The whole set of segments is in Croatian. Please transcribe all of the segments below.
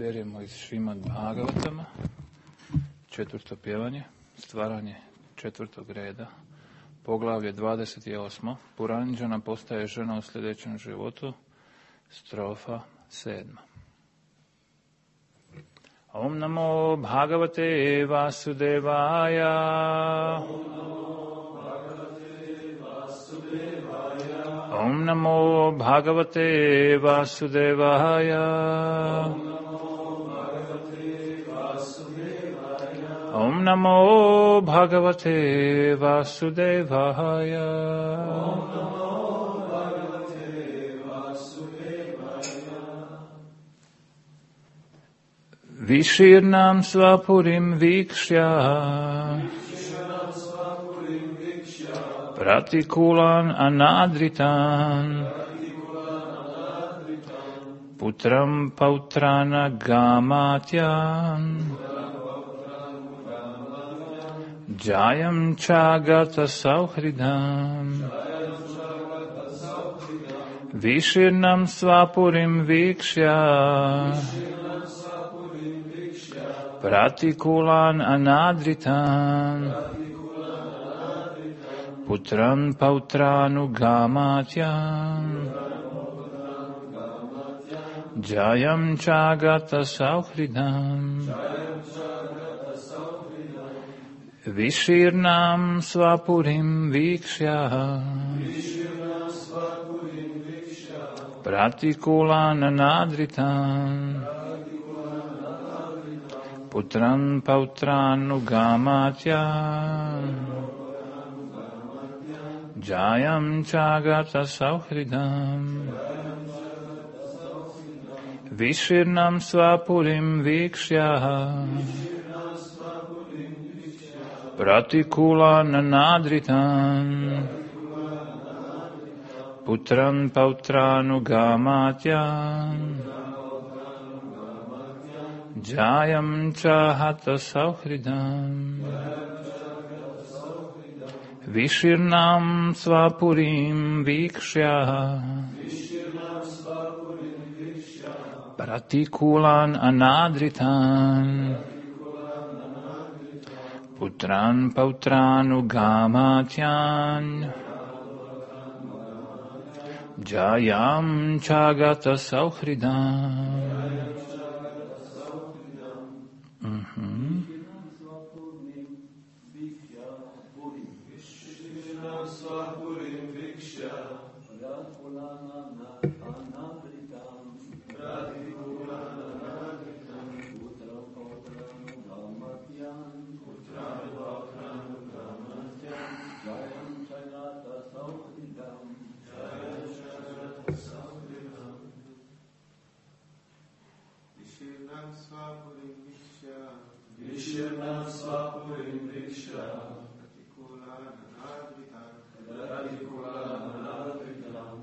beremo iz Šrimad Bhagavatama, 4. pjevanje, stvaranje 4. reda, poglavlje 28. Puranđana postaje žena u sljedećem životu, strofa 7. Om namo Bhagavate Vasudevaya. Om namo Bhagavate Vasudevaya. Om namo Bhagavate Vasudevaya. Vishirnam svapurim vikshya pratikulan anadritan putram pautrana gamatyan jayam chagata sauhridam. Vishirnam svapurim vikshya pratikulan anadritan putran pautranu gamatyan jayam chagata sauhridam. Vishirnam svapurim vikshya pratikulan anadritan putran pautranu gamatyan jayam chagata sauhridam. Vishirnam svapurim vikshya pratikulan anadritan putran pautranu gamatyan jayam chahata sauhridam. Vishirnam svapurim vikshya pratikulan anadritan putran pautranu gamatyan jayam chagata sauhridam. Vishirnam svapurim vikshya pratikulan anadritam putran pautranu gamatyan jayam chagata sauhridam. Vishirnam svapurim vikshya pratikulan anadritam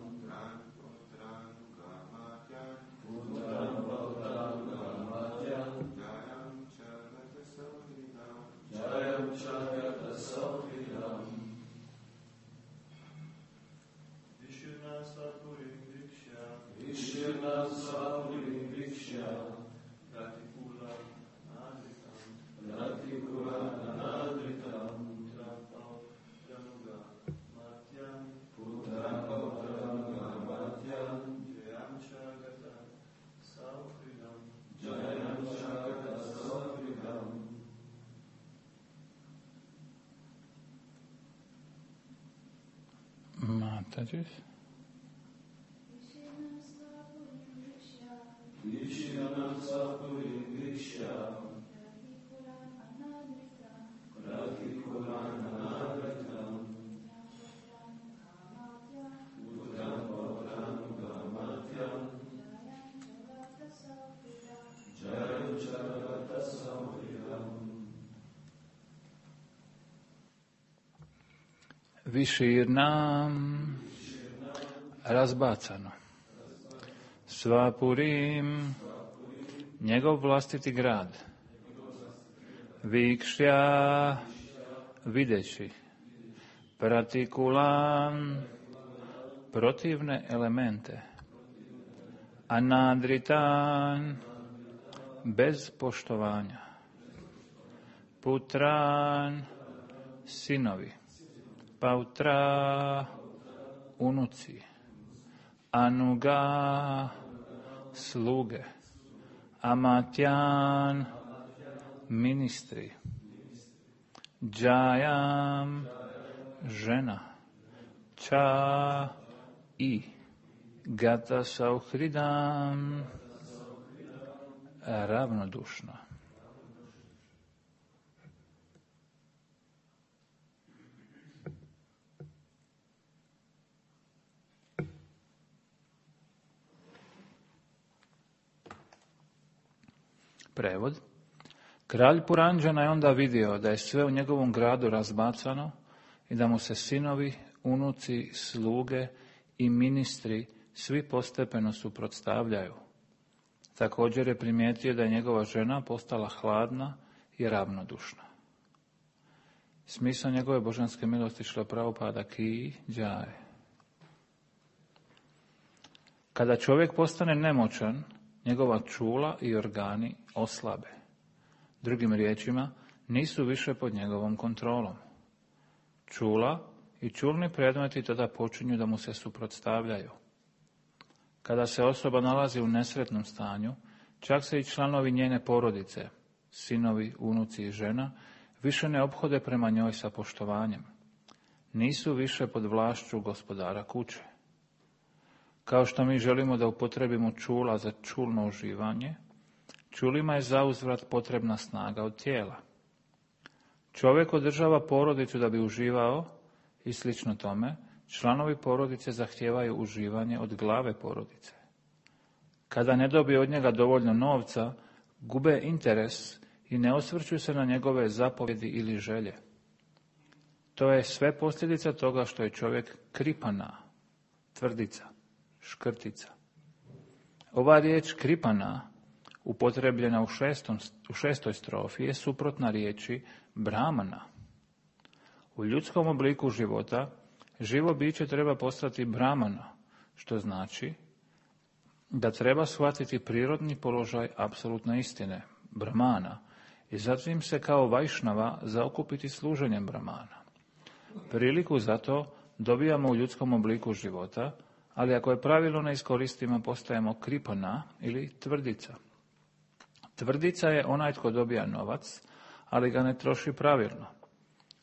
putran pautranu gamatyan jayam chagata sauhridam. Mataji. Vishirnam svapurim vikshya pratikulan anadritam putran pautranu gamatyan jayam chagata sauhridam. Vishirnam razbacano. Svapurim njegov vlastiti grad. Vikshya videći. Pratikulan protivne elemente. Anadritan bez poštovanja. Putran, sinovi. Pautra, unuci. Anuga, sluge. Amatjan, ministri. Džajam, žena. Ča i gata sauhridam, ravnodušno. Prevod. Kralj Puranđana je onda vidio da je sve u njegovom gradu razbacano i da mu se sinovi, unuci, sluge i ministri svi postepeno suprotstavljaju. Također je primijetio da je njegova žena postala hladna i ravnodušna. Smisao njegove božanske milosti Šrila Prabhupada ki džaje. Kada čovjek postane nemoćan, njegova čula i organi oslabe. Drugim riječima, nisu više pod njegovom kontrolom. Čula i čulni predmeti tada počinju da mu se suprotstavljaju. Kada se osoba nalazi u nesretnom stanju, čak se i članovi njene porodice, sinovi, unuci i žena, više ne ophode prema njoj sa poštovanjem. Nisu više pod vlašću gospodara kuće. Kao što mi želimo da upotrebimo čula za čulno uživanje, čulima je zauzvrat potrebna snaga od tijela. Čovjek održava porodicu da bi uživao i slično tome, članovi porodice zahtijevaju uživanje od glave porodice. Kada ne dobije od njega dovoljno novca, gube interes i ne osvrću se na njegove zapovjedi ili želje. To je sve posljedica toga što je čovjek kripana, tvrdica, škrtica. Ova riječ kripana, upotrebljena u šestoj strofi, je suprotna riječi brahmana. U ljudskom obliku života živo biće treba postati brahmana, što znači da treba shvatiti prirodni položaj apsolutne istine, brahmana, i zatim se kao vajšnava zaokupiti služenjem brahmana. Priliku za to dobijamo u ljudskom obliku života, ali ako je pravilno ne iskoristimo, postajemo kripana ili tvrdica. Tvrdica je onaj tko dobija novac, ali ga ne troši pravilno.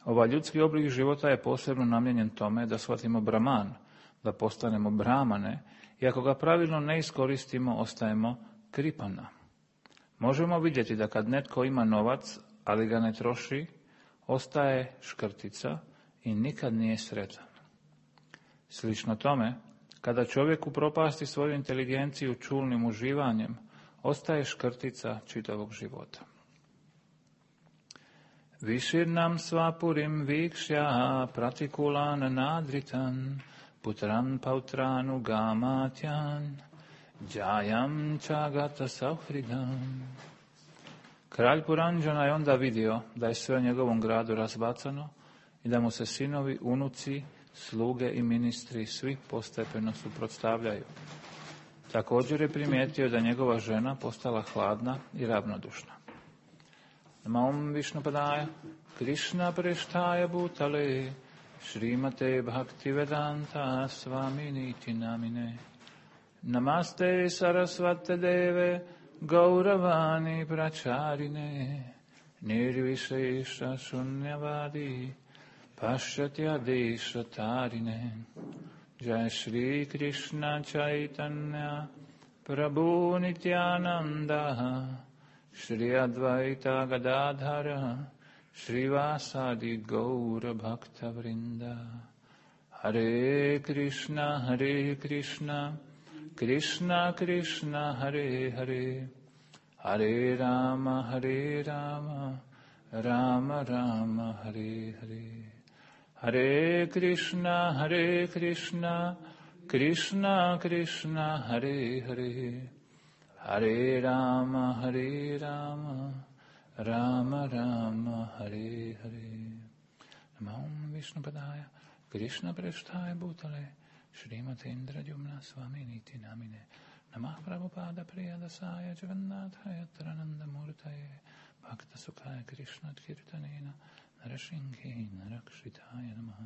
Ovaj ljudski oblik života je posebno namijenjen tome da shvatimo brahman, da postanemo brahmane, i ako ga pravilno ne iskoristimo, ostajemo kripana. Možemo vidjeti da kad netko ima novac, ali ga ne troši, ostaje škrtica i nikad nije sretan. Slično tome, kada čovjek upropasti svoju inteligenciju čulnim uživanjem, ostaje škrtica čitavog života. Viširnam svapurim vikšja pratikulan nadritan putran pautranu gamatjan džajam čagata sauhridam. Kralj Puranđana je onda vidio da je sve u njegovom gradu razbacano i da mu se sinovi, unuci, sluge i ministri svi postepeno suprotstavljaju. Također je primijetio da njegova žena postala hladna i ravnodušna. Namam Višnupadaya, Krishna Preštaja Bhutale, Šrimate Bhaktivedanta Svaminiti Namine. Namaste Sarasvate Deve, Gauravani Pracharine, Nirvishesha Shunyavadi, Pashatya Desha Tarine. Jai Shri Krishna Chaitanya, Prabhu Nityananda, Shri Advaita Gadadhara, Shri Vasadi Gaura Bhakta Vrinda. Hare Krishna, Krishna Krishna, Hare Hare, Hare Rama, Rama Rama, Hare Hare. Hare Krishna, Krishna Krishna, Hare Hare, Hare Rama, Rama Rama, Hare Hare. Namam Višnupadaya, Krishna Preštaja Bhutale, Šrimate Indradyumna Svaminiti Namine. Namah Prabhupada Priyadasaya Jagannathaya Trananda. Namastaye Bhakta Sukhaya Krishna Kirtanena Narashinki Narakshitaya Namaha.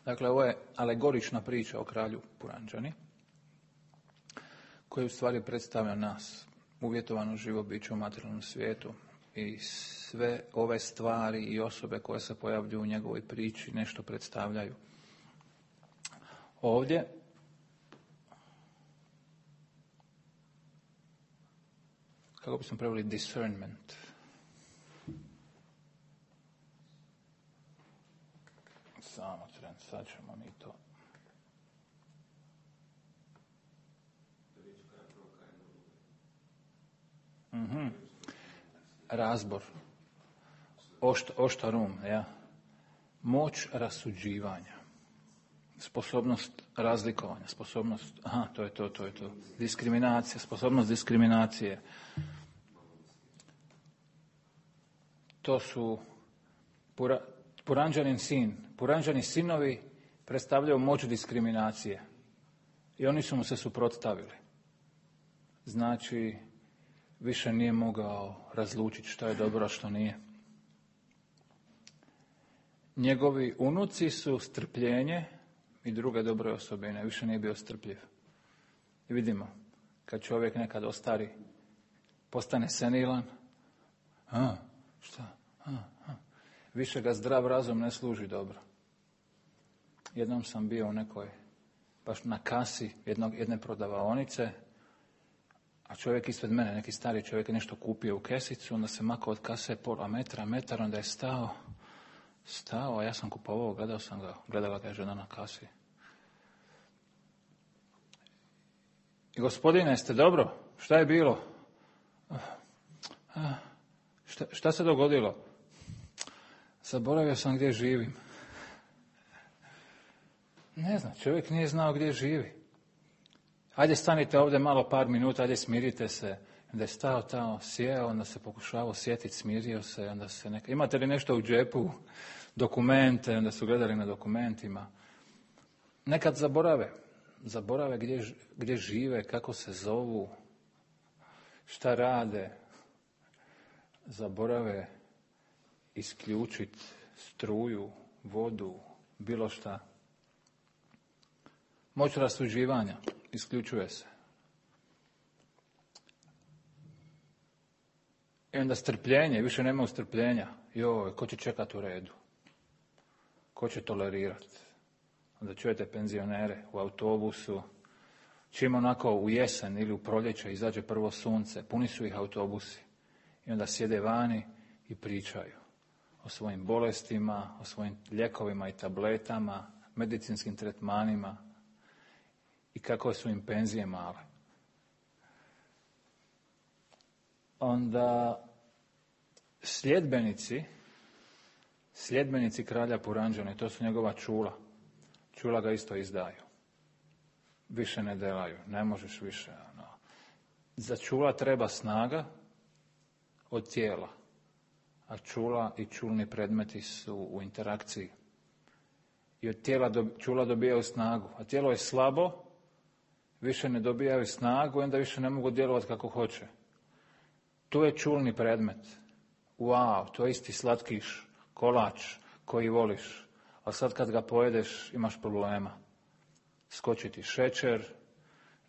Dakle, ovo je alegorična priča o kralju Puranđani, koji u stvari predstavlja nas, uvjetovano živo biće u materijalnom svijetu, i sve ove stvari i osobe koje se pojavljuju u njegovoj priči nešto predstavljaju. Ovdje kako bismo preveli discernment. Samo tren, sad ćemo mi to. Razbor. Oštarum, ja. Moć rasuđivanja. Sposobnost razlikovanja, sposobnost, to je to. Diskriminacija, sposobnost diskriminacije. To su Puranđanin sin. Puranđani sinovi predstavljaju moć diskriminacije. I oni su mu se suprotstavili. Znači, više nije mogao razlučiti što je dobro, a što nije. Njegovi unuci su strpljenje i druge dobre osobine. Više nije bio strpljiv. I vidimo, kad čovjek nekad ostari, postane senilan, više ga zdrav razum ne služi dobro. Jednom sam bio u nekoj, baš na kasi jedne prodavaonice, a čovjek ispred mene, neki stari čovjek je nešto kupio u kesicu, onda se makao od kase pola metar, onda je stao, a ja sam kupovao, gledala ga je žena na kasi. I gospodine, jeste dobro? Šta je bilo? Šta se dogodilo? Zaboravio sam gdje živim. Ne znam, čovjek nije znao gdje živi. Ajde, stanite ovdje malo par minuta, ajde, smirite se. Onda je stao tamo, sjeo, onda se pokušavao sjetiti, smirio se, onda se imate li nešto u džepu, dokumente, onda su gledali na dokumentima. Nekad zaborave gdje žive, kako se zovu, šta rade. Zaborave isključiti struju, vodu, bilo šta. Moć rasuđivanja isključuje se. I onda strpljenje, više nema strpljenja. Joj, ko će čekati u redu? Ko će tolerirati? Onda čujete penzionere u autobusu, čim onako u jesen ili u proljeće izađe prvo sunce, puni su ih autobusi. I onda sjede vani i pričaju o svojim bolestima, o svojim lijekovima i tabletama, medicinskim tretmanima i kako su im penzije male. Onda sljedbenici kralja Puranđane, to su njegova čula. Čula ga isto izdaju. Više ne delaju, ne možeš više. Za čula treba snaga od tijela, a čula i čulni predmeti su u interakciji. I od tijela čula dobijaju snagu, a tijelo je slabo, više ne dobijaju snagu i onda više ne mogu djelovati kako hoće. To je čulni predmet. Wow, to je isti slatkiš, kolač koji voliš, a sad kad ga pojedeš imaš problema. Skoči ti šećer,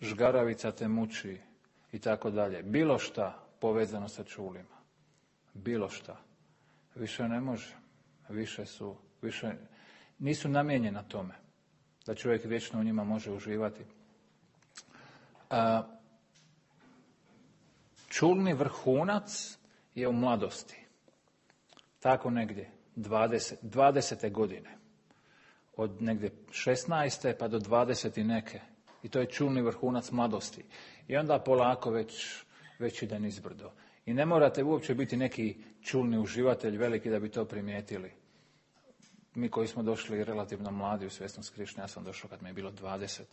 žgaravica te muči i tako dalje. Bilo šta povezano sa čulima. Bilo šta. Više ne može. Više nisu namijenjena tome da čovjek vječno u njima može uživati. Čulni vrhunac je u mladosti. Tako negdje, 20. godine. Od negdje 16. pa do 20. neke. I to je čulni vrhunac mladosti. I onda polako već ide nizbrdo. I ne morate uopće biti neki čulni uživatelj veliki da bi to primijetili. Mi koji smo došli relativno mladi u svjesnost Krišne, ja sam došao kad mi je bilo 20.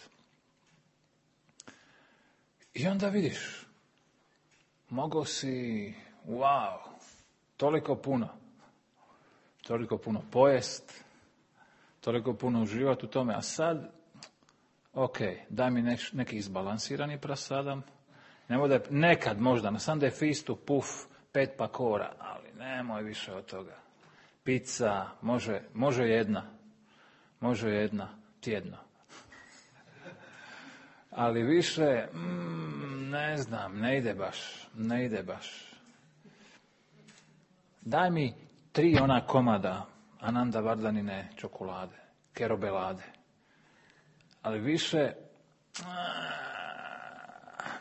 I onda vidiš, mogao si, wow, toliko puno pojest, toliko puno uživati u tome, a sad, ok, daj mi neki izbalansirani prasadam, ne bude nekad možda, na Sunday feastu, puf, 5 pakora, ali nemoj više od toga. Pizza, može jedna tjedno. Ali više, ne znam, ne ide baš. Daj mi 3 ona komada Ananda Vardanine čokolade, kerobelade. Ali više,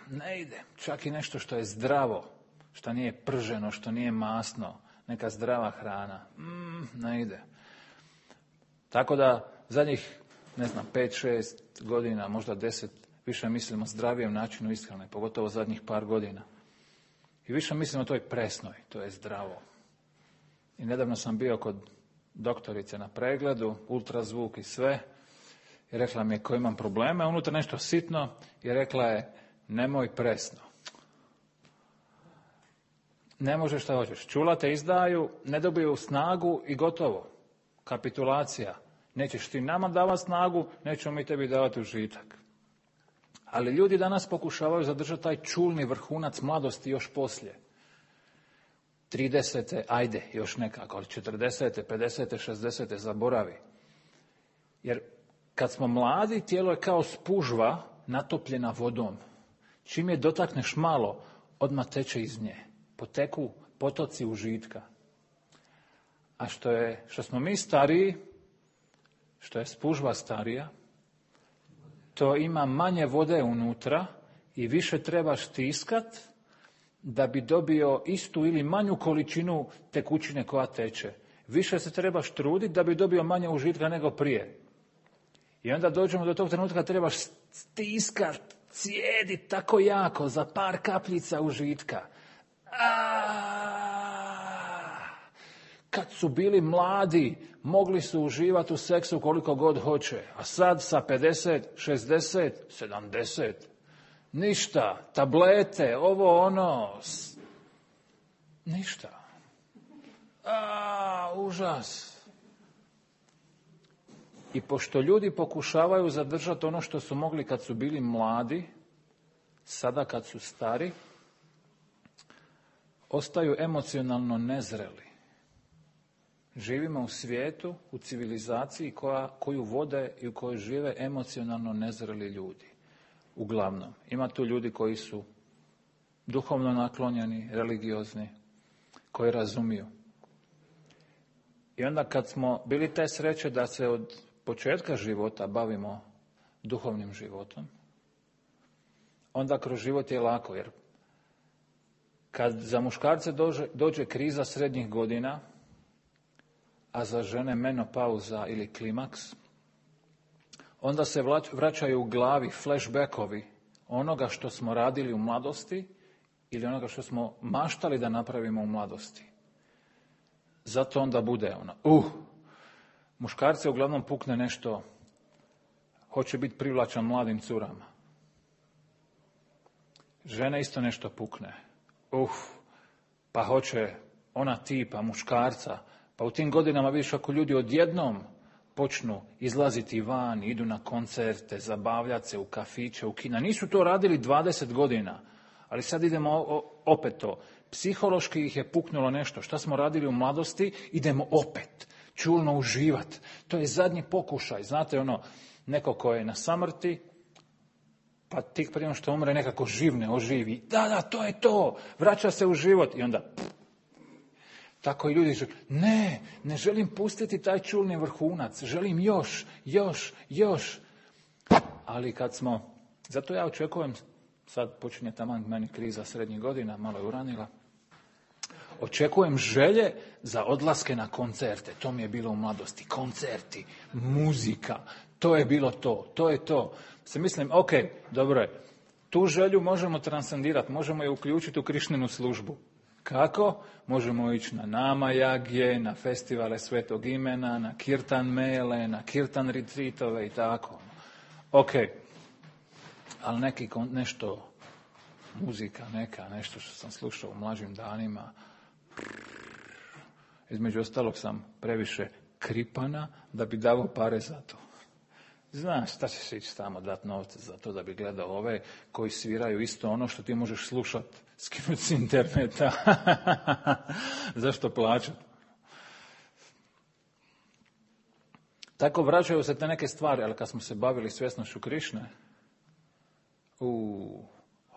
ne ide. Čak i nešto što je zdravo, što nije prženo, što nije masno, neka zdrava hrana, ne ide. Tako da zadnjih, 5-6 godina, možda 10, više mislimo o zdravijem načinu ishrane, pogotovo zadnjih par godina. I više mislimo o toj presnoj, to je zdravo. I nedavno sam bio kod doktorice na pregledu, ultrazvuk i sve, i rekla mi je ko imam probleme, unutra nešto sitno, i rekla je nemoj presno. Ne možeš šta hoćeš. Čula te izdaju, ne dobiju snagu i gotovo. Kapitulacija. Nećeš ti nama davati snagu, nećemo mi tebi davati užitak. Ali ljudi danas pokušavaju zadržati taj čulni vrhunac mladosti još poslije. 30. ajde, još nekako, ali 40. 50. 60. zaboravi. Jer kad smo mladi, tijelo je kao spužva natopljena vodom. Čim je dotakneš malo, odmah teče iz nje. Poteku potoci užitka. A što smo mi stariji, što je spužva starija, to ima manje vode unutra i više trebaš stiskat da bi dobio istu ili manju količinu tekućine koja teče. Više se trebaš truditi da bi dobio manje užitka nego prije. I onda dođemo do tog trenutka trebaš stiskat, cijedit tako jako za par kapljica užitka. Kad su bili mladi, mogli su uživati u seksu koliko god hoće. A sad sa 50, 60, 70. Ništa. Tablete, ovo, ono. Ništa. Užas. I pošto ljudi pokušavaju zadržati ono što su mogli kad su bili mladi, sada kad su stari, ostaju emocionalno nezreli. Živimo u svijetu, u civilizaciji koju vode i u kojoj žive emocionalno nezreli ljudi. Uglavnom. Ima tu ljudi koji su duhovno naklonjeni, religiozni, koji razumiju. I onda kad smo bili te sreće da se od početka života bavimo duhovnim životom, onda kroz život je lako, jer kad za muškarce dođe kriza srednjih godina, a za žene menopauza ili klimaks, onda se vraćaju u glavi flashbackovi onoga što smo radili u mladosti ili onoga što smo maštali da napravimo u mladosti. Zato onda bude muškarce uglavnom pukne nešto, hoće biti privlačan mladim curama. Žene isto nešto pukne. Pa hoće ona tipa muškarca. Pa u tim godinama vidiš ako ljudi odjednom počnu izlaziti van, idu na koncerte, zabavljati se u kafiće, u kina. Nisu to radili 20 godina, ali sad idemo opet to. Psihološki ih je puknulo nešto. Šta smo radili u mladosti, idemo opet čulno uživati. To je zadnji pokušaj. Znate neko ko je na samrti, pa tik prije što umre nekako živne, oživi. Da, to je to. Vraća se u život i onda... Tako i ljudi žele, ne želim pustiti taj čulni vrhunac, želim još. Ali kad smo, zato ja očekujem, sad počinje taman meni kriza srednjih godina, malo je uranila, očekujem želje za odlaske na koncerte, to mi je bilo u mladosti, koncerti, muzika, to je bilo to je to. Se mislim, ok, dobro je, tu želju možemo transcendirati, možemo je uključiti u Krišninu službu. Kako? Možemo ići na Nama Jagje, na festivale Svetog imena, na Kirtan mele, na Kirtan retreatove i tako. Ok, ali nešto muzika neka, nešto što sam slušao u mlađim danima. Između ostalog sam previše kripana da bi davao pare za to. Znaš, šta ćeš ići tamo dati novce za to da bi gledao ove koji sviraju isto ono što ti možeš slušati, skinuti s interneta. Zašto plaćati? Tako vraćaju se te neke stvari, ali kad smo se bavili svjesnošću Krišne,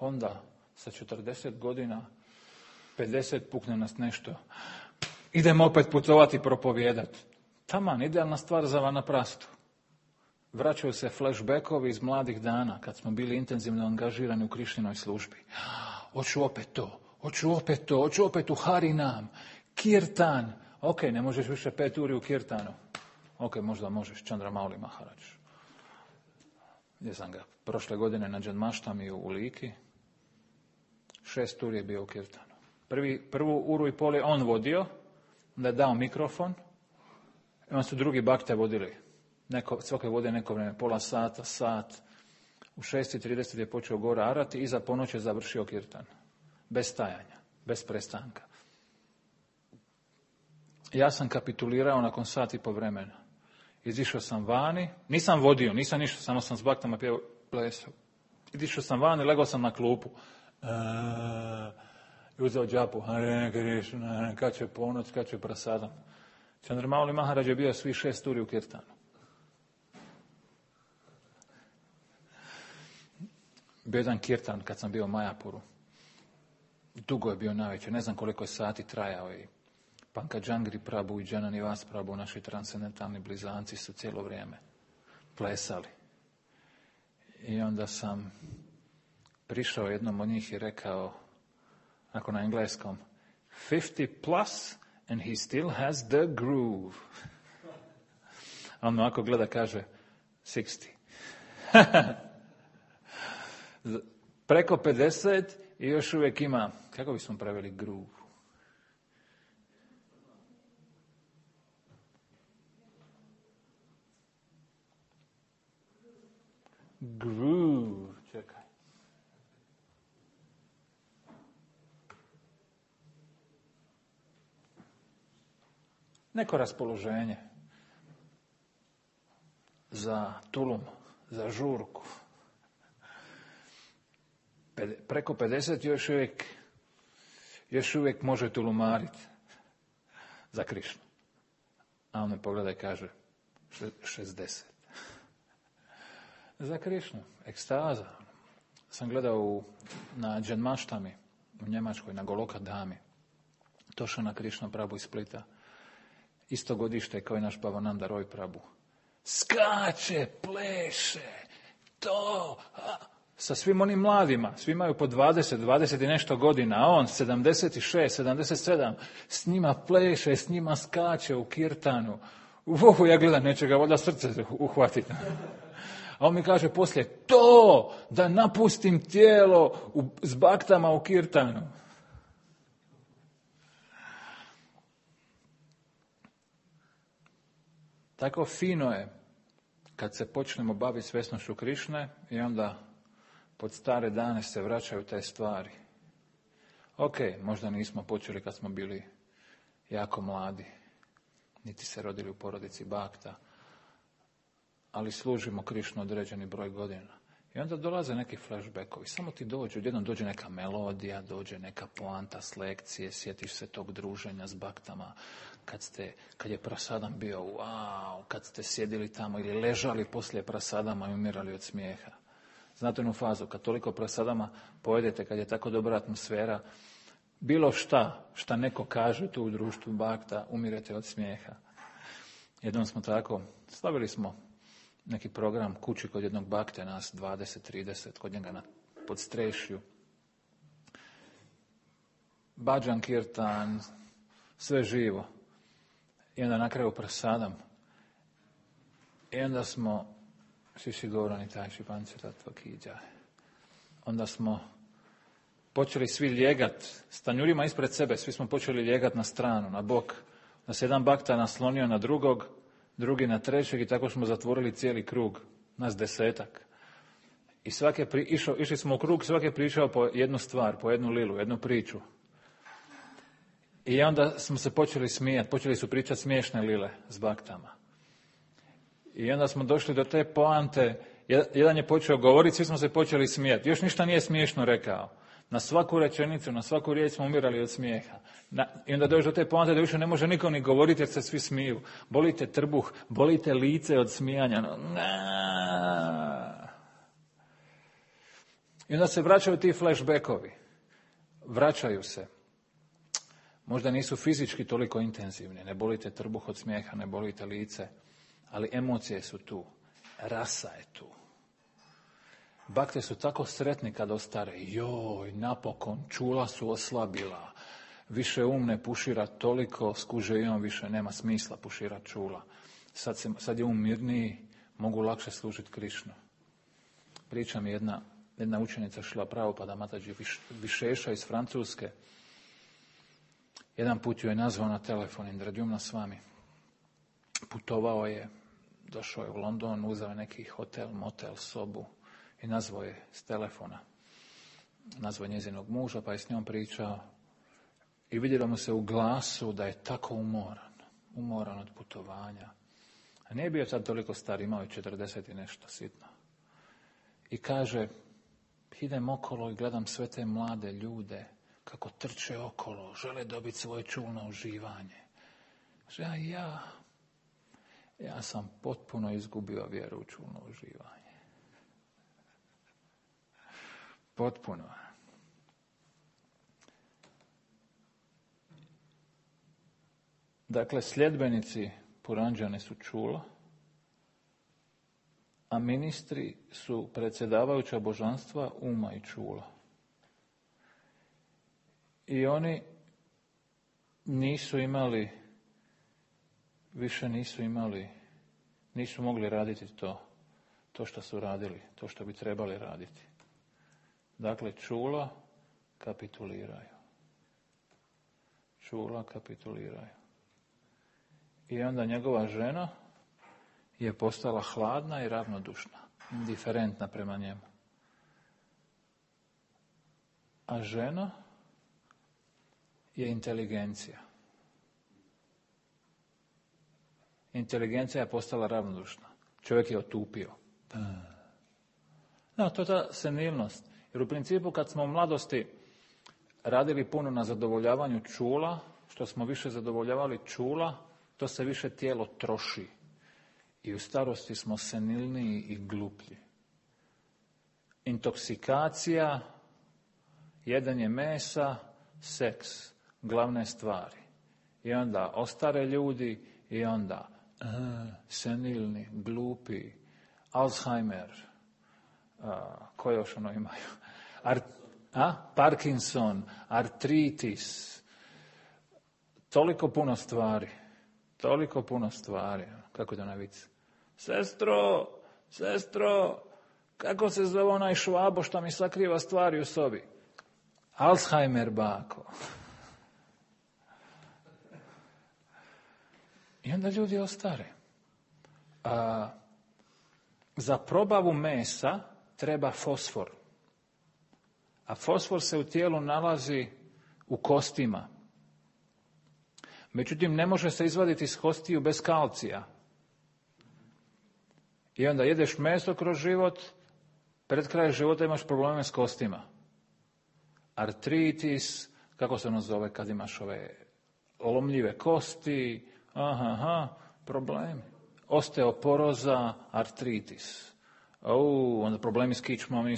onda sa 40 godina, 50 pukne nas nešto. Idemo opet putovati i propovijedati. Taman, idealna stvar za vanaprastu. Vraćaju se flashbackovi iz mladih dana, kad smo bili intenzivno angažirani u Krišninoj službi. Hoću opet u Harinam, Kirtan. Ok, ne možeš više 5 uri u Kirtanu. Ok, možda možeš, Chandra Mauli Maharaj. Gdje sam ga prošle godine na Džanmaštami u Liki. 6 uri je bio u Kirtanu. Prvu uru i pol je on vodio, onda je dao mikrofon, i onda su drugi bakte vodili. Svake vode neko vrijeme, pola sata, sat. U 6:30 je počeo gore arati i za ponoć je završio Kirtan. Bez stajanja, bez prestanka. Ja sam kapitulirao nakon sat i po vremena. Izišao sam vani, nisam vodio, nisam ništa, samo sam s baktama plesao. Izišao sam vani, legao sam na klupu. I uzeo džapu, Hare Krishna, kad će ponoć, kad će prasadam. Chandra Mauli Maharaj je bio svi 6 uri u Kirtanu. Bio jedan kirtan kad sam bio u Majapuru. Dugo je bio najveći, ne znam koliko je sati trajao. I Pankajangri Prabhu i Jananivas Prabhu, naši transcendentalni blizanci, su cijelo vrijeme plesali. I onda sam prišao jednom od njih i rekao, ako na engleskom, 50 plus and he still has the groove. A on ovako gleda, kaže, 60. Preko 50 i još uvijek ima, kako bismo preveli groove? Groove, čekaj. Neko raspoloženje za tulum, za žurku. Preko 50 još uvijek može tulumariti za Krišnu. A on me pogleda i kaže 60. Za Krišnu, ekstaza. Sam gledao na Džanmaštami u Njemačkoj, na Goloka Dami. Došao na Krišna Prabhu iz Splita. Isto godište kao i naš Bhavananda Roy Prabhu. Skače, pleše, to... Sa svim onim mladima, svi imaju po 20 i nešto godina, a on 76, 77, s njima pleše, s njima skače u Kirtanu. Ja gledam, neće ga voda srce uhvatiti. A on mi kaže poslije, to, da napustim tijelo s baktama u Kirtanu. Tako fino je kad se počnemo baviti svjesnošću Krišne i onda pod stare dane se vraćaju te stvari. Ok, možda nismo počeli kad smo bili jako mladi, niti se rodili u porodici bakta, ali služimo Krišnu određeni broj godina. I onda dolaze neki flashbackovi, samo ti dođe, odjednom dođe neka melodija, dođe neka poanta s lekcije, sjetiš se tog druženja s baktama, kad je prasadam bio, wow, kad ste sjedili tamo ili ležali poslije prasadama i umirali od smijeha. Znate onu fazu, kad toliko prasadama pojedete, kad je tako dobra atmosfera, bilo šta neko kaže tu u društvu bakta, umirete od smijeha. Jednom smo tako, stavili smo neki program kući kod jednog bakte, nas 20-30, kod njega na podstrešju. Bhajan kirtan, sve živo. I onda na kraju prasadam. I onda smo Šiši Gaurani Tajši Pančetatva Kiđa. Onda smo počeli svi ljegat s tanjurima ispred sebe, svi smo počeli ljegat na stranu, na bok. Da se jedan bakta naslonio na drugog, drugi na trećeg i tako smo zatvorili cijeli krug, nas 10. I išli smo u krug, svaki je pričao po jednu stvar, po jednu lilu, jednu priču. I onda smo se počeli smijati, počeli su pričati smiješne lile s baktama. I onda smo došli do te poante, jedan je počeo govoriti, svi smo se počeli smijati. Još ništa nije smiješno rekao. Na svaku rečenicu, na svaku riječ smo umirali od smijeha. I onda dođe do te poante da više ne može niko ni govoriti jer se svi smiju. Bolite trbuh, bolite lice od smijanja. I onda se vraćaju ti flashbackovi. Vraćaju se. Možda nisu fizički toliko intenzivni. Ne bolite trbuh od smijeha, ne bolite lice. Ali emocije su tu. Rasa je tu. Bakte su tako sretni kad ostare. Joj, napokon, čula su oslabila. Više ne pušira toliko, skuže i on više nema smisla pušira čula. Sad je mirniji, mogu lakše služiti Krišnu. Priča mi jedna učenica Šrila Prabhupada Mataji Višeša iz Francuske. Jedan put ju je nazvao na telefon, Indradjumna s vami. Putovao je, došao je u London, uzeo je neki hotel, motel, sobu i nazvao je s telefona. Nazvao je njezinog muža, pa je s njom pričao i vidjelo mu se u glasu da je tako umoran od putovanja. A nije bio sad toliko star, imao je 40 i nešto sitno. I kaže, idem okolo i gledam sve te mlade ljude kako trče okolo, žele dobiti svoje čulno uživanje. Kaže, ja sam potpuno izgubio vjeru u čulno uživanje. Potpuno. Dakle, sljedbenici Puranđane su čula, a ministri su predsjedavajuća božanstva uma i čula. I oni nisu mogli raditi to što su radili, to što bi trebali raditi. Dakle, čula kapituliraju. I onda njegova žena je postala hladna i ravnodušna, indiferentna prema njemu. A žena je inteligencija. Inteligencija je postala ravnodušna. Čovjek je otupio. No, to je ta senilnost. Jer u principu kad smo u mladosti radili puno na zadovoljavanju čula, što smo više zadovoljavali čula, to se više tijelo troši. I u starosti smo senilniji i gluplji. Intoksikacija, jedenje mesa, seks, glavne stvari. I onda ostare ljudi i onda senilni, glupi, Alzheimer, koje još imaju? Parkinson, artritis, toliko puno stvari. Kako da navic? Sestro, kako se zove onaj Švabo što mi sakriva stvari u sobi? Alzheimer, bako. I onda ljudi ostare. Za probavu mesa treba fosfor. A fosfor se u tijelu nalazi u kostima. Međutim, ne može se izvaditi iz kostiju bez kalcija. I onda jedeš meso kroz život, pred kraj života imaš probleme s kostima. Artritis, kako se ono zove kad imaš ove lomljive kosti, problemi. Osteoporoza, artritis. Onda problemi s kičmom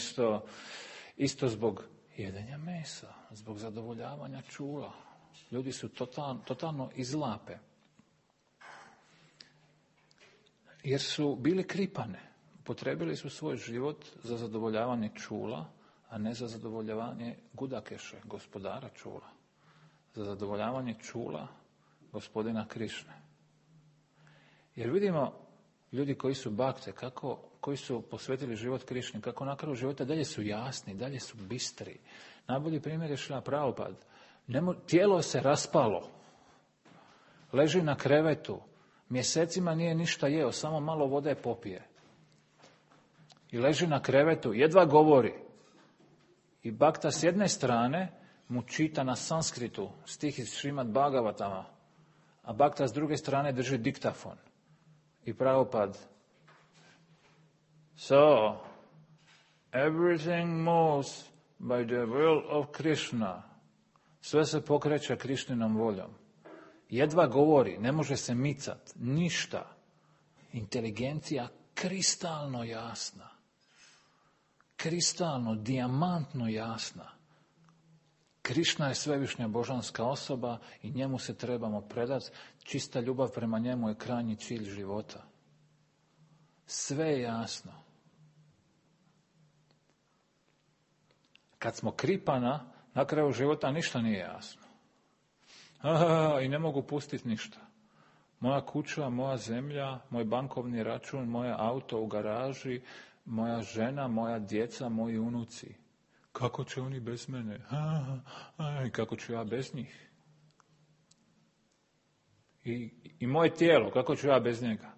isto zbog jedenja mesa, zbog zadovoljavanja čula. Ljudi su totalno izlape. Jer su bili kripane. Potrebili su svoj život za zadovoljavanje čula, a ne za zadovoljavanje Gudakeše, gospodara čula. Za zadovoljavanje čula gospodina Krišne. Jer vidimo ljudi koji su bakte, koji su posvetili život Krišni, kako na kraju života dalje su jasni, dalje su bistri. Najbolji primjer je Šrila Prabhupada. Tijelo se raspalo. Leži na krevetu. Mjesecima nije ništa jeo, samo malo vode popije. i leži na krevetu, jedva govori. I Bhakta s jedne strane mu čita na sanskritu stih iz Šrimad Bhagavatama, a Bhakta s druge strane drži diktafon. I Prabhupada: So, everything moves by the will of Krishna. Sve se pokreće Krišninom voljom. Jedva govori, ne može se micat, ništa. Inteligencija kristalno jasna. Kristalno, dijamantno jasna. Krišna je svevišnja božanska osoba i njemu se trebamo predati. Čista ljubav prema njemu je krajnji cilj života. Sve je jasno. Kad smo kripana, na kraju života ništa nije jasno. I ne mogu pustiti ništa. Moja kuća, moja zemlja, moj bankovni račun, moje auto u garaži, moja žena, moja djeca, moji unuci. Kako će oni bez mene? I kako ću ja bez njih? I moje tijelo, kako ću ja bez njega?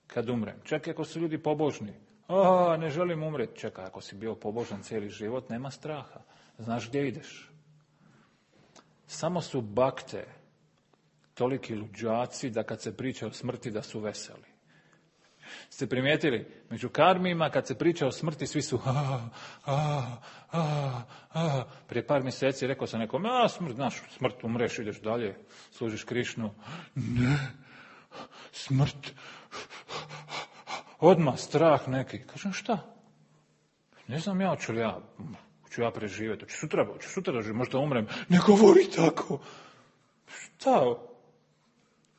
Kad umrem. Čak ako su ljudi pobožni. Ne želim umreti. Čekaj, ako si bio pobožan cijeli život, nema straha. Znaš gdje ideš. Samo su bakte toliki luđaci da kad se priča o smrti da su veseli. Ste primijetili? Među karmima kad se priča o smrti svi su Prije par mjeseci rekao sam nekom, smrt, umreš, ideš dalje, služiš Krišnu. Ne, smrt. Odmah strah neki. Kažem, šta? Ne znam ja, hoću ja preživjeti, hoću sutra živjeti, možda umrem. Ne govori tako. Šta?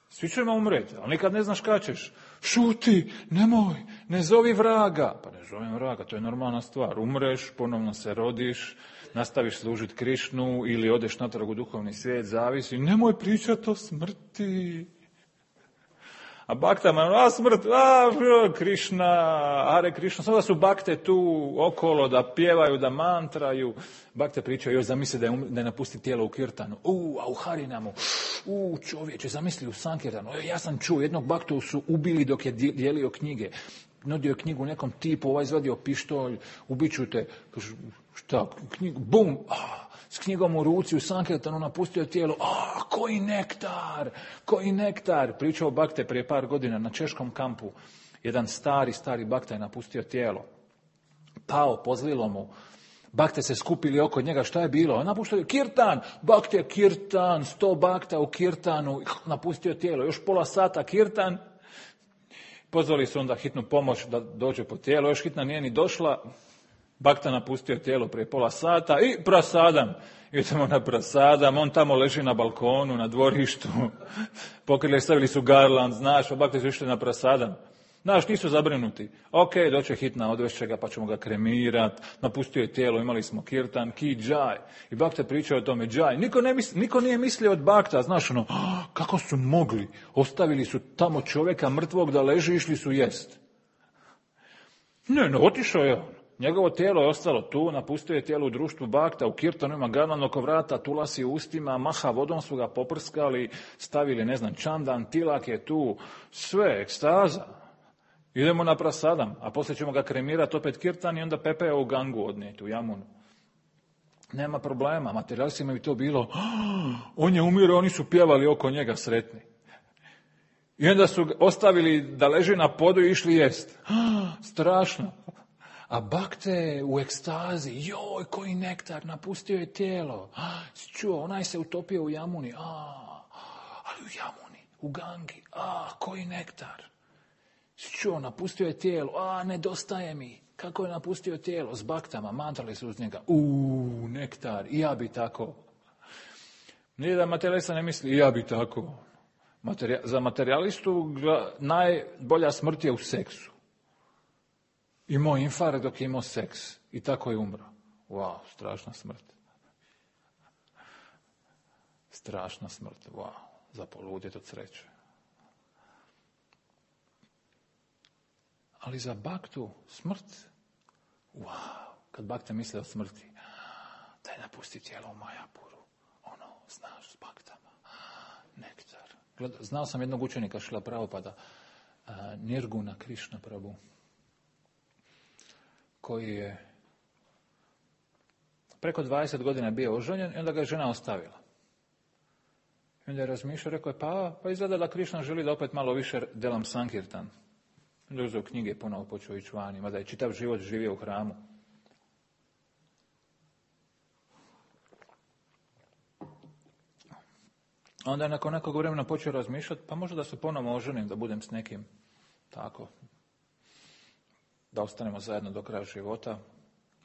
Svi ćemo umreti, ali nikad ne znaš kada ćeš. Šuti, nemoj, ne zovi vraga. Pa ne zovem vraga, to je normalna stvar. Umreš, ponovno se rodiš, nastaviš služiti Krišnu ili odeš natrag u duhovni svijet, zavisi. Nemoj pričati o smrti. A baktama, smrt, Krišna, Hare Krišna, sada su bakte tu okolo da pjevaju, da mantraju. Bakte pričaju, još zamisli da je napusti tijelo u kirtanu. A u Harinamu, čovječe, zamisli u Sankirtanu. Ja sam čuo, jednog baktu su ubili dok je dijelio knjige. Nudio je knjigu nekom tipu, ovaj izvadio pištolj, ubiću te. Šta, knjigu, bum, s knjigom u ruci u Sankirtanu napustio tijelo. Koji nektar. Pričao bakte prije par godina na češkom kampu. Jedan stari bakta je napustio tijelo. Pao, pozlilo mu. Bakte se skupili oko njega, šta je bilo? Napuštio kirtan, bakte kirtan, 100 bakta u kirtanu, napustio tijelo, još pola sata kirtan. Pozvali su onda hitnu pomoć da dođe po tijelo, još hitna nije ni došla. Bakta napustio tijelo prije pola sata i prasadam. Idemo na prasadam, on tamo leži na balkonu, na dvorištu. Pokrili, stavili su garland, znaš, bakte su išli na prasadam. Znaš, nisu zabrinuti. Ok, doće hitna, odvešće ga, pa ćemo ga kremirati. Napustio je tijelo, imali smo kirtan, ki džaj. I bakta pričao o tome, džaj. Niko nije mislio od bakta, znaš, kako su mogli. Ostavili su tamo čovjeka mrtvog da leži, išli su jest. Ne, otišao je on. Njegovo tijelo je ostalo tu, napustio je tijelo u društvu bakta, u kirtanu ima garland oko vrata, tulasi u ustima, maha vodom su ga poprskali, stavili, čandan, tilak je tu, sve, ekstaza. Idemo na prasadam, a poslije ćemo ga kremirati opet kirtan i onda Pepe u Gangu odnijeti, u Jamunu. Nema problema, materialistima bi to bilo, on je umirao, oni su pjevali oko njega sretni. I onda su ostavili da leži na podu i išli jest. Strašno. A bakte u ekstazi, joj, koji nektar, napustio je tijelo. Čuo, onaj se utopio u Jamuni, ali u Jamuni, u Gangi, koji nektar. Čuo, napustio je tijelo, nedostaje mi. Kako je napustio tijelo? S baktama, mantrali su uz njega. Nektar, i ja bi tako. Nije da materialista ne misli, i ja bi tako. Za materialistu najbolja smrt je u seksu. Imao infarkt dok je imao seks. I tako je umro. Wow, strašna smrt. Strašna smrt, wow. Za poludjet od sreće. Ali za baktu smrt, wow, kad bakte misle o smrti, daj napusti tijelo u Majapuru, znaš, s baktama, nektar. Znao sam jednog učenika Šrila Prabhupada, Nirguna Krišna Prabhu. koji je preko 20 godina bio oženjen i onda ga je žena ostavila. I onda je razmišljao, rekao je, pa izgleda da Krišna želi da opet malo više delam sankirtan. Onda je uzeo knjige i ponovo počeo ići vani, mada je čitav život živio u hramu. Onda je nakon nekog vremena počeo razmišljati, pa možda da se ponovo oženim, da budem s nekim tako, da ostanemo zajedno do kraja života.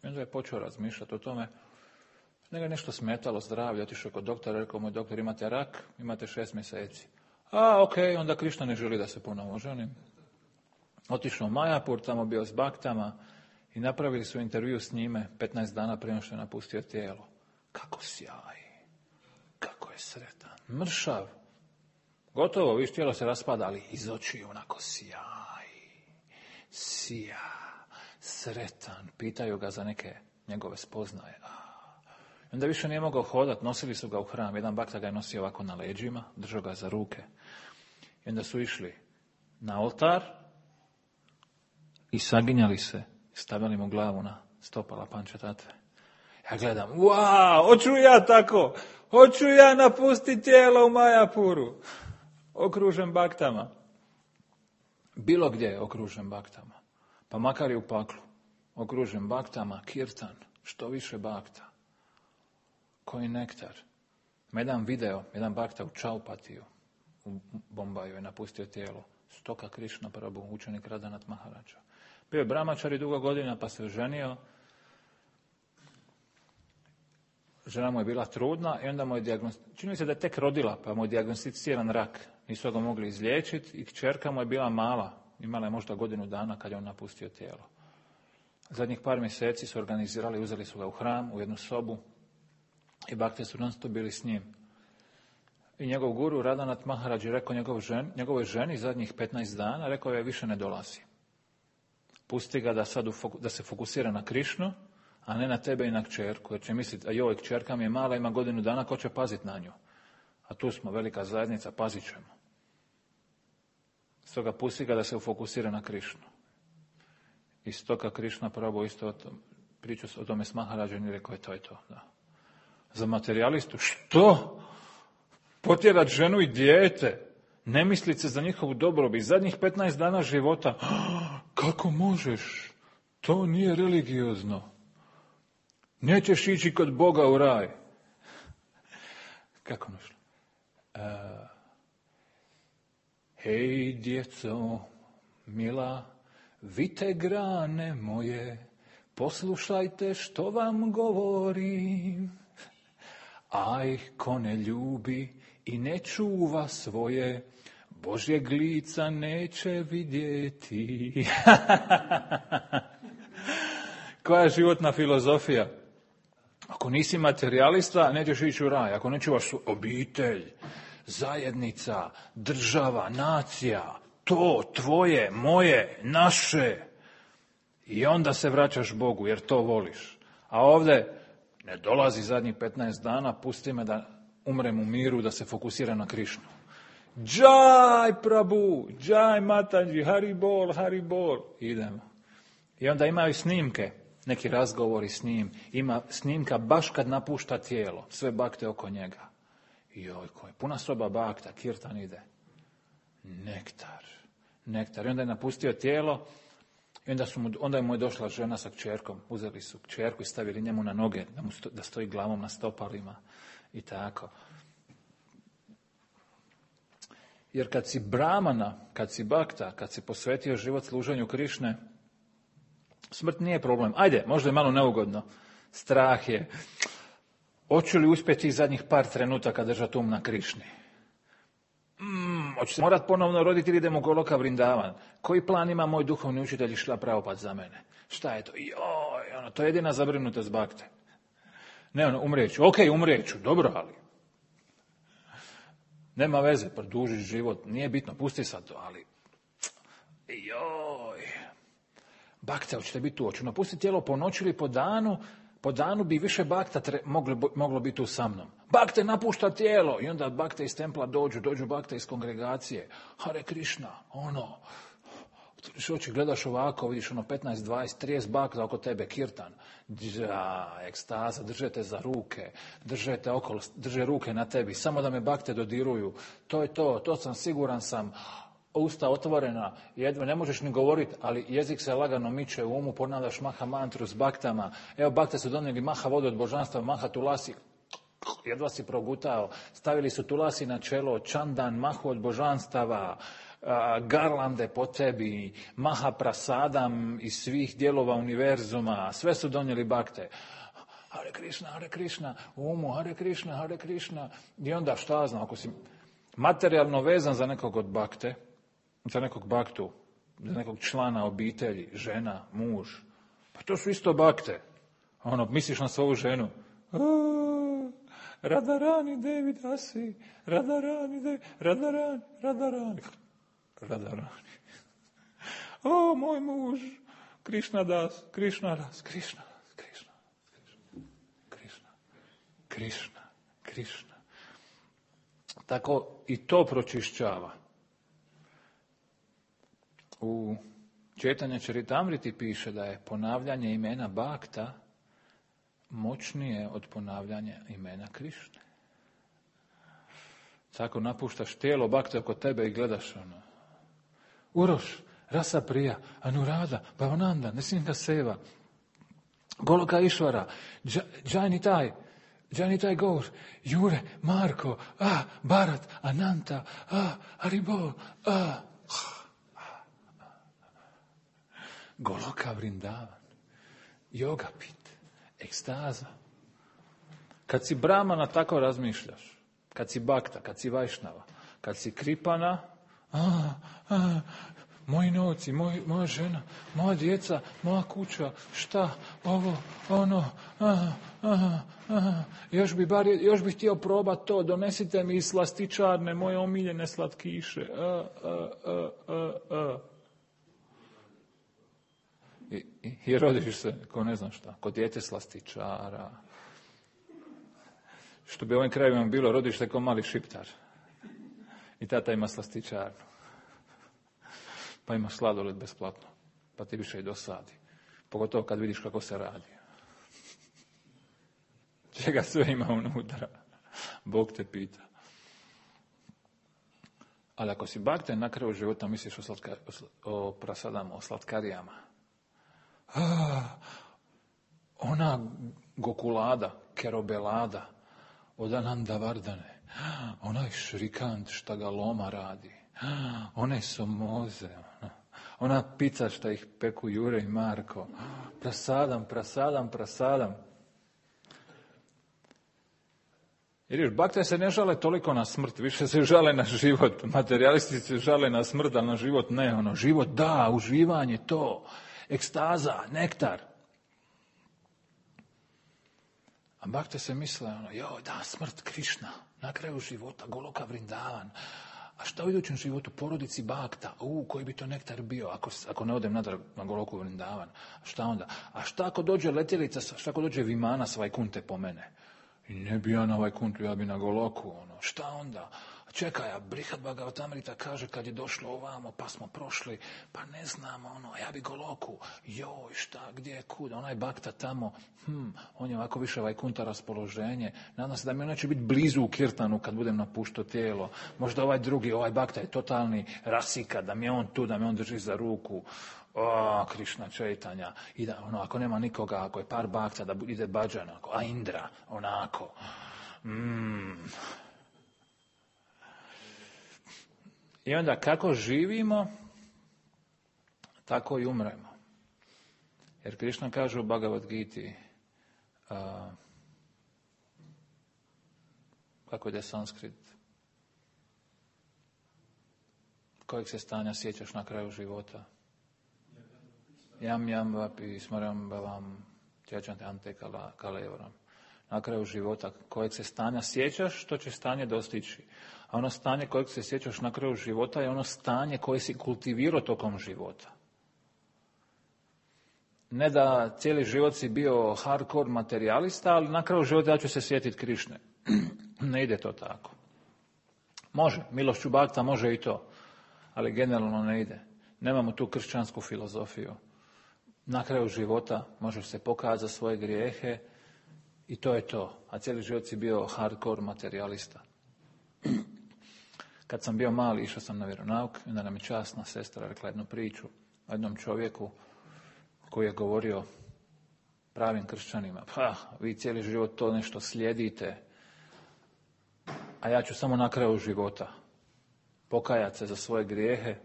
I onda je počeo razmišljati o tome. Njega je nešto smetalo zdravlje, otišao kod doktora, rekao mu, doktor, imate rak, imate 6 mjeseci. Ok, onda Krišna ne želi da se ponovo oženim. Otišao u Majapur, tamo bio s baktama i napravili su intervju s njime 15 dana prije što je napustio tijelo. Kako sjaji, kako je sretan, mršav. Gotovo, viš, tijelo se raspada, ali iz očiju onako sija, sretan. Pitaju ga za neke njegove spoznaje. Onda više nije mogao hodati, nosili su ga u hram. Jedan bakta ga je nosio ovako na leđima, držao ga za ruke. I onda su išli na oltar i saginjali se, stavili mu glavu na stopala Pančatatve. Ja gledam, hoću ja tako, hoću ja napustiti tijelo u Majapuru, okružen baktama. Bilo gdje je okružen baktama, pa makar i u paklu, okružen baktama, kirtan, što više bakta. Koji nektar. Ima jedan video, jedan bakta u Čaupatiju, u Bombaju je napustio tijelo. Stoka Krišna Prabhu, učenik Radhanath Maharaja. Bio je brahmačari dugo godina, pa se oženio. Žena mu je bila trudna i onda mu je čini se da je tek rodila, pa mu je dijagnosticiran rak. Nisu ga mogli izliječiti i kćerka mu je bila mala. Imala je možda godinu dana kad je on napustio tijelo. Zadnjih par mjeseci su organizirali, uzeli su ga u hram, u jednu sobu i bakte su non stop bili s njim. I njegov guru Radhanath Maharaja je rekao njegovoj ženi zadnjih 15 dana, rekao je više ne dolazi. Pusti ga da se fokusira na Krišnu, a ne na tebe i na kćerku, jer će misliti, a joj, kćerka mi je mala, ima godinu dana, ko će paziti na nju? A tu smo, velika zajednica, pazit ćemo. Stoga pusti ga da se fokusira na Krišnu. I stoga Krišna Prabhu isto pričao o tome s Maharađom i rekao je to. Da. Za materijalistu, što? Potjerat ženu i dijete, ne mislit se za njihovu dobrobit, zadnjih 15 dana života. Kako možeš? To nije religiozno. Nećeš ići kod Boga u raj. Kako našlo? Hej, djeco, mila, vite grane moje, poslušajte što vam govorim. Aj, ko ne ljubi i ne čuva svoje, Božjeg lica neće vidjeti. Koja je životna filozofija? Ako nisi materijalista, nećeš ići u raj. Ako ne čuvaš obitelj, zajednica, država, nacija, to, tvoje, moje, naše. I onda se vraćaš Bogu, jer to voliš. A ovdje ne dolazi zadnjih 15 dana, pusti me da umrem u miru, da se fokusira na Krišnu. Džaj Prabhu, džaj Mataji, Hari Bol. Idemo. I onda imaju snimke, neki razgovori s njim. Ima snimka baš kad napušta tijelo, sve bakte oko njega. Joj, koji puna soba bakta, kirtan ide. Nektar. I onda je napustio tijelo i onda mu je došla žena sa kćerkom. Uzeli su kćerku i stavili njemu na noge, da stoji glavom na stopalima i tako. Jer kad si brahmana, kad si bakta, kad si posvetio život služenju Krišne, smrt nije problem. Ajde, možda je malo neugodno. Strah je. Hoću li uspjeti zadnjih par trenutaka držati na Krišni? Hoću se morat ponovno roditi ili idemo u Goloka Vrindavan? Koji plan ima moj duhovni učitelj Šrila Prabhupada za mene? Šta je to? To je jedina zabrinutost bakte. Ne, umrijeću. Ok, umrijeću, dobro, ali nema veze, produžiš život, nije bitno, pusti sad to, ali bakta, hoćete biti tu, hoću napustiti tijelo po noći ili po danu bi više bakta moglo biti tu sa mnom. Bakte napušta tijelo i onda bakte iz templa dođu bakte iz kongregacije. Hare Krišna, Otvoriš oči, gledaš ovako, vidiš 15, 20, 30 bakta oko tebe, kirtan. Ekstaza, držete za ruke, držete okolo, drže ruke na tebi, samo da me bakte dodiruju. To je to sam, siguran sam. Usta otvorena, jedva ne možeš ni govoriti, ali jezik se lagano miče u umu, ponavljaš maha mantru s baktama. Evo, bakte su donijeli maha vodu od božanstva, maha tulasi, jedva si progutao. Stavili su tulasi na čelo, čandan, mahu od božanstava, garlande po tebi, maha prasadam iz svih dijelova univerzuma, sve su donijeli bakte. Hare Krishna, u umu, Hare Krishna. I onda šta znam, ako si materijalno vezan za nekog od bakte, za nekog baktu, za nekog člana obitelji, žena, muž, pa to su isto bakte. Misliš na svoju ženu. Radharani Devi Dasi, Radharani. O, moj muž, Krishna das. Tako i to pročišćava. U Četanja Čaritamriti piše da je ponavljanje imena Bakta moćnije od ponavljanja imena Krišne. Tako napuštaš tijelo Bakta oko tebe i gledaš Uroš, Rasa Prija, Anurada, Bhavananda, Nisinga Seva, Goloka Išvara, Janitai Gaur, Jure, Marko, Bharat, Ananta, Haribol, Goloka Vrindavan, Jogapit, ekstaza. Kad si Brahmana tako razmišljaš, kad si Bakta, kad si Vajšnava, kad si Kripana, moji novci, moja žena, moja djeca, moja kuća, šta, ovo, ono, još bi htio probati to, donesite mi iz slastičarne moje omiljene slatkiše. I rodiš se, ko ne znam šta, kod dijete slastičara. Što bi u ovim krajevima bilo, rodiš se ko mali šiptar. I tata ima slastičarnu. Pa ima sladoled besplatno. Pa ti više i dosadi. Pogotovo kad vidiš kako se radi. Čega sve ima unutra. Bog te pita. Ali ako si bakten na kraju života misliš o prasadama, o slatkarijama. Ona Gokulada, Kerobelada, od Ananda Vardane, onaj Šrikant šta ga Loma radi, one Somoze, ona pizza šta ih peku Jure i Marko, prasadam. Jer još bakte se ne žale toliko na smrt, više se žale na život. Materijalisti se žale na smrt, ali na život ne. Život da, uživanje to, ekstaza, nektar. A bakte se misle, smrt Krišna, na kraju života, Goloka Vrindavan. A šta u idućem životu, porodici Bakta, koji bi to nektar bio, ako ne odem natrag na Goloku Vrindavan. Šta onda? A šta ako dođe letjelica, šta ako dođe Vimana s Vajkunte po mene? I ne bi ja na Vajkuntu, ja bi na Goloku, šta onda? Čekaj, a Brihad Bhagavatamrita kaže kad je došlo ovamo, pa smo prošli, pa ne znamo, ja bi Goloku, šta, gdje, kud, onaj Bakta tamo, on je ovako više Vajkunta raspoloženje, nadam se da mi neće biti blizu u Kirtanu kad budem napuštao tijelo, možda ovaj drugi, ovaj Bakta je totalni rasika, da mi je on tu, da me on drži za ruku, Krišna Čaitanja, i da, ako nema nikoga, ako je par Bakta, da ide Bhajan, a Indra, onako, I onda kako živimo, tako i umremo. Jer Krišna kaže u Bhagavad Giti, kako ide sanskrit, kojeg se stanja sjećaš na kraju života? Jam vapi smaram bavam tjačante ante kalevaram. Na kraju života kojeg se stanja sjećaš, što će stanje dostići. A ono stanje kojeg se sjećaš na kraju života je ono stanje koje si kultivirao tokom života. Ne da cijeli život si bio hardcore materijalista, ali na kraju života ja ću se sjetiti Krišne. Ne ide to tako. Može, milošću Bakta može i to, ali generalno ne ide. Nemamo tu kršćansku filozofiju. Na kraju života možeš se pokazati za svoje grijehe i to je to. A cijeli život si bio hardcore materijalista. Kad sam bio mali, išao sam na vjeronauk i onda nam je časna sestra rekla jednu priču o jednom čovjeku koji je govorio pravim kršćanima. Pa, vi cijeli život to nešto slijedite, a ja ću samo na kraju života pokajati se za svoje grijehe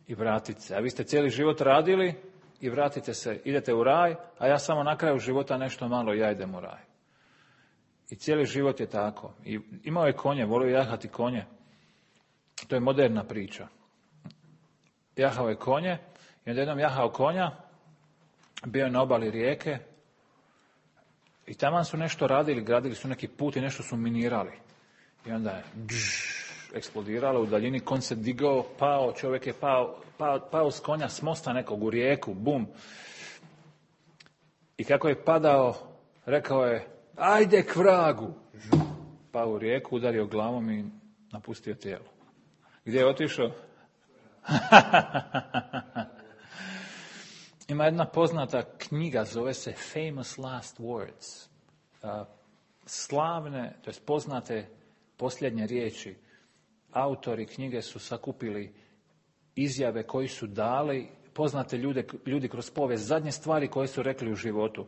i vratiti se. A vi ste cijeli život radili i vratite se, idete u raj, a ja samo na kraju života nešto malo i ja idem u raj. I cijeli život je tako. I imao je konje, volio jahati konje. To je moderna priča. Jahao je konje i onda jednom jahao konja, bio je na obali rijeke i taman su nešto radili, gradili su neki put i nešto su minirali. I onda je eksplodiralo u daljini, konj se digao, pao, čovjek je pao s konja s mosta nekog u rijeku, bum. I kako je padao, rekao je, ajde k vragu. Pao u rijeku, udario glavom i napustio tijelo. Gdje je otišao? Ima jedna poznata knjiga, zove se Famous Last Words. Slavne, to jest poznate posljednje riječi. Autori knjige su sakupili izjave koji su dali, poznate ljudi kroz povijest, zadnje stvari koje su rekli u životu.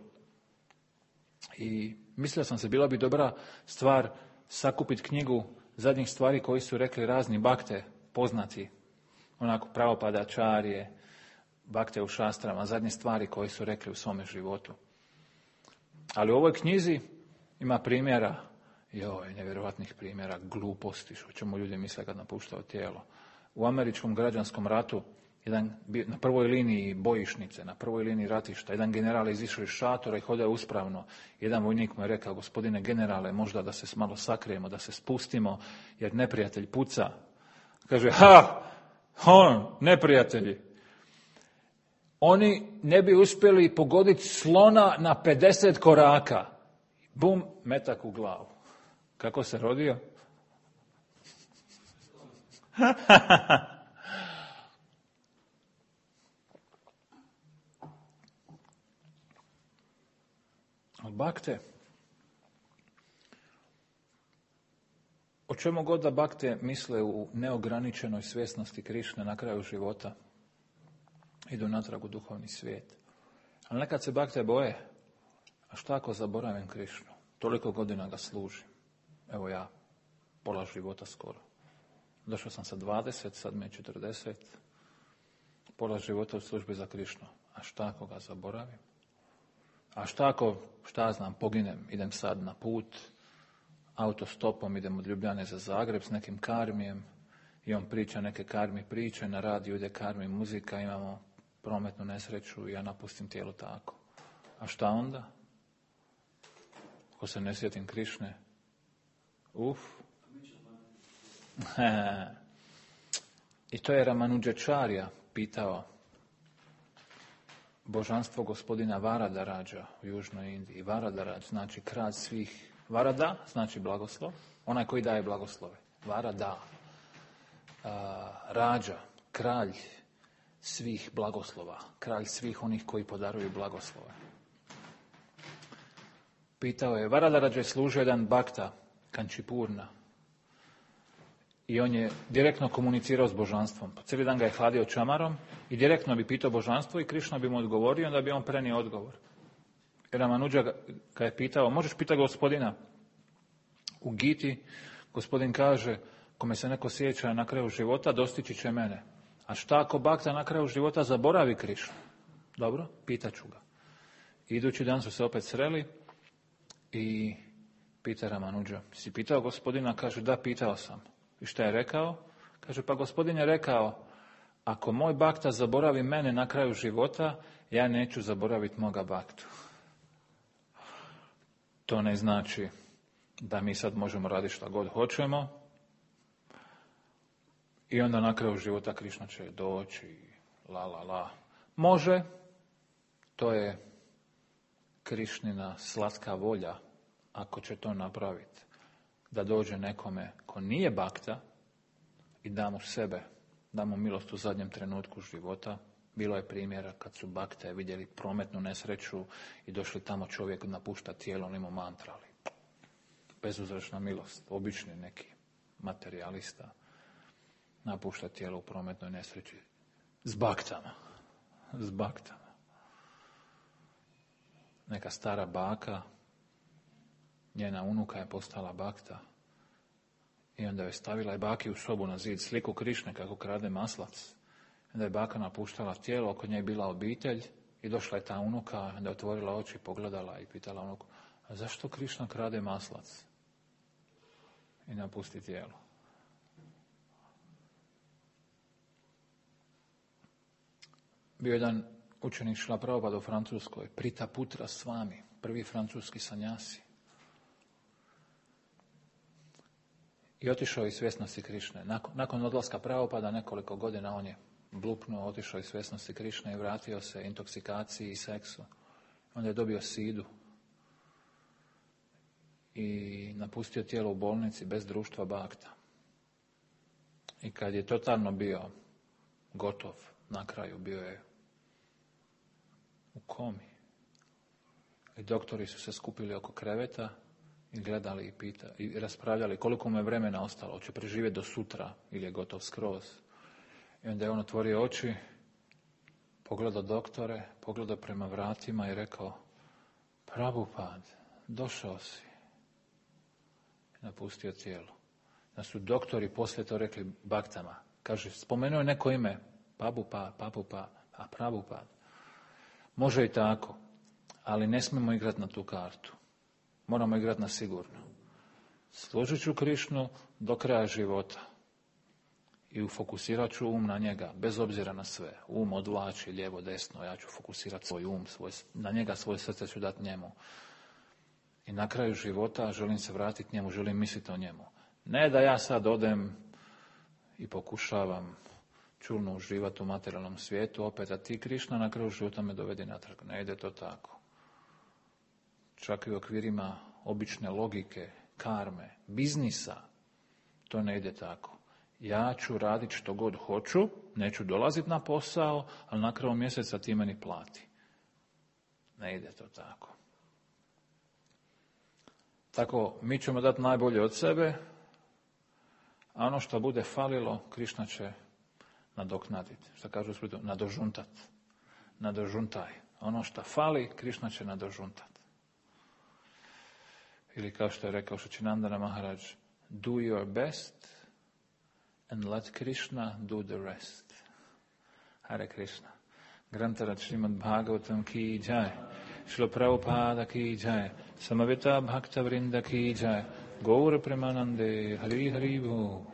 I mislio sam se, bila bi dobra stvar sakupiti knjigu zadnjih stvari koji su rekli razni bakte, poznati, onako pravopadačarije, bakte u šastrama, zadnje stvari koje su rekli u svome životu. Ali u ovoj knjizi ima primjera, nevjerojatnih primjera, gluposti, što čemu ljudi misle kad napuštaju tijelo. U američkom građanskom ratu, na prvoj liniji bojišnice, na prvoj liniji ratišta, jedan general je izišao iz šatora i hodao uspravno. Jedan vojnik mu je rekao, gospodine generale, možda da se malo sakrijemo, da se spustimo, jer neprijatelj puca. Kaže, neprijatelji. Oni ne bi uspjeli pogoditi slona na 50 koraka. Bum, metak u glavu. Kako se rodio? Bakte. O čemu god da bakte misle u neograničenoj svjesnosti Krišne na kraju života, idu natrag u duhovni svijet. Ali nekad se bakte boje, a šta ako zaboravim Krišnu? Toliko godina ga služim. Evo ja, pola života skoro. Došao sam sa 20, sad me je 40. Pola života u službi za Krišnu. A šta ako ga zaboravim? A šta ako, poginem, idem sad na put, autostopom idem od Ljubljane za Zagreb s nekim karmijem i on priča neke karmi priče, na radiju ide karmi muzika, imamo prometnu nesreću i ja napustim tijelo tako. A šta onda? Ako se ne sjetim Krišne? I to je Ramanujačarya pitao božanstvo gospodina Varadarađa u Južnoj Indiji. Varadarađ znači kralj svih. Varada znači blagoslov, onaj koji daje blagoslove. Varada. Rađa, kralj svih blagoslova, kralj svih onih koji podaruju blagoslove. Pitao je, Varadarađa je služio jedan bakta, Kančipurna, i on je direktno komunicirao s božanstvom. Cijeli dan ga je hladio čamarom i direktno bi pitao božanstvo i Krišna bi mu odgovorio, onda bi on prenio odgovor. Ramanuja ga je pitao, možeš pitati gospodina? U Giti gospodin kaže, kome se neko sjeća na kraju života, dostići će mene. A šta ako bakta na kraju života zaboravi Krišnu? Dobro, pitaću ga. Idući dan su se opet sreli i pita Ramanuja, si pitao gospodina? Kaže, da, pitao sam. I šta je rekao? Kaže, pa gospodin je rekao, ako moj bakta zaboravi mene na kraju života, ja neću zaboraviti moga baktu. To ne znači da mi sad možemo raditi šta god hoćemo i onda na kraju života Krišna će doći, la. Može, to je Krišnina slatka volja, ako će to napraviti, da dođe nekome ko nije bakta i da mu sebe da mu milost u zadnjem trenutku života. Bilo je primjera kad su bakte vidjeli prometnu nesreću i došli tamo, čovjek napušta tijelo, oni mu mantrali. Bezuzročna milost, obični neki materijalista napušta tijelo u prometnoj nesreći s baktama. Neka stara baka, njena unuka je postala bakta i onda je stavila i baki u sobu na zid sliku Krišne kako krade maslac. Onda je baka napuštala tijelo, oko nje je bila obitelj i došla je ta unuka, onda je otvorila oči, pogledala i pitala unuku, a zašto Krišna krade maslac? I napusti tijelo. Bio jedan učenik Šrila Prabhupada u Francuskoj, Prita Putra Swami, prvi francuski sanjasi. I otišao iz svjesnosti Krišne. Nakon odlaska Prabhupada nekoliko godina on je blupnuo, otišao iz svjesnosti Krišne i vratio se intoksikaciji i seksu. Onda je dobio sidu i napustio tijelo u bolnici bez društva bakta. I kad je totalno bio gotov, na kraju bio je u komi. I doktori su se skupili oko kreveta i gledali i raspravljali koliko mu je vremena ostalo, hoće preživjeti do sutra ili je gotov skroz. I onda je on otvorio oči, pogledao doktore, pogledao prema vratima i rekao, Prabhupad, došao si. I napustio tijelo. Da su doktori poslije to rekli baktama. Kaže, spomenuo je neko ime, Papupa, a Prabhupad. Može i tako, ali ne smijemo igrati na tu kartu. Moramo igrati na sigurno. Služit ću Krišnu do kraja života. I fokusirat ću um na njega, bez obzira na sve. Um odvlači lijevo, desno, ja ću fokusirati svoj um, na njega svoje srce ću dati njemu. I na kraju života želim se vratiti njemu, želim misliti o njemu. Ne da ja sad odem i pokušavam čulno uživati u materijalnom svijetu, opet, a ti Krišna na kraju života me dovedi natrag. Ne ide to tako. Čak i u okvirima obične logike, karme, biznisa, to ne ide tako. Ja ću raditi što god hoću, neću dolaziti na posao, ali na kraju mjeseca ti meni plati. Ne ide to tako. Tako, mi ćemo dati najbolje od sebe, a ono što bude falilo, Krišna će nadoknaditi. Što kažu u Splitu, nadožuntat. Nadožuntaj. Ono što fali, Krišna će nadožuntat. Ili kao što je rekao Šačinandana Maharaj, do your best and let Krishna do the rest. Hare Krishna. Grantarad Srimad Bhagavatam ki jai. Srila Prabhupada ki jai. Samavita Bhakta Vrinda ki jai. Gaura Premanande Hari Hari Bo.